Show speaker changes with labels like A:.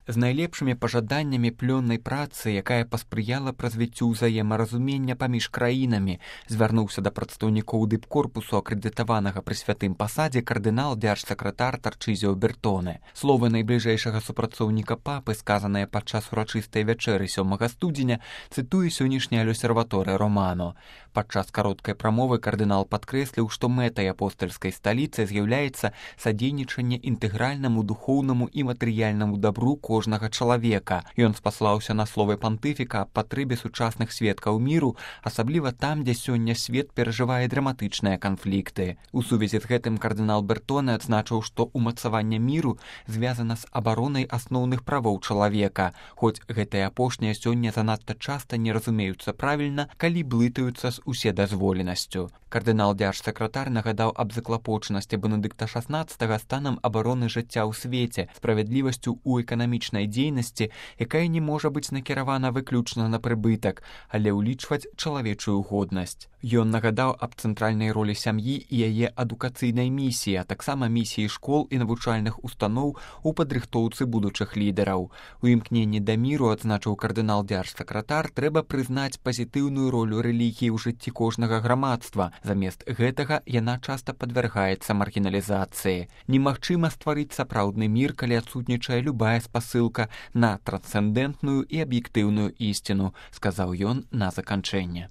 A: з найлепшымі пажаданнямі плённай працы, якая паспрыяла б развіццю ўзаемаразумення паміж краінамі, звярнуўся да прадстаўнікоў дыпкорпусу акрэдытаванага пры святым пасадзе кардынал дзяржсакратар Тарчызіо Бертоне. Словы найбліжэйшага супрацоўніка папы, сказаныя падчас урачыстай вячэры 7 студзеня, цытуе сённяшні L'Osservatore Romano. Падчас кароткай прамовы кардынал падкрэсліў, што мэтай апостальскай сталіцы з'яўляецца садзейнічанне інтэгральнаму духоўнаму і матэрыяльнаму дабру кожнага чалавека. Ён спаслаўся на словы пантыфіка аб патрэбе сучасных сведкаў міру, асабліва там, дзе сёння свет перажывае драматычныя канфлікты. У сувязі з гэтым кардынал Бертоне адзначыў, што ўмацаванне міру звязана з абаронай асноўных правоў чалавека, хоць гэтыя апошнія сёння занадта часта не разумеюцца правільна, калі блытаюцца з уседазволенасцю. Кардынал дзяржсакратар нагадаў аб заклапочанасці Бенедыкта XVI станам абароны жыцця ў свеце, справядлівасцю ў эканамічнай дзейнасці, якая не можа быць накіравана выключна на прыбытак, але ўлічваць чалавечую годнасць. Ён нагадаў аб цэнтральнай ролі сям'і і яе адукацыйнай місіі, а таксама місіі школ і навучальных устаноў у падрыхтоўцы будучых лідараў. У імкненні да міру, адзначыў кардынал дзяржсакратар, трэба прызнаць пазітыўную ролю рэлігіі ў жыцці кожнага грамадства. Замест гэтага яна часта падвяргаецца маргіналізацыі. Немагчыма стварыць сапраўдны мір, калі адсутнічае любая спасылка на трансцэндэнтную і аб'ектыўную ісціну, сказаў ён на заканчэнне.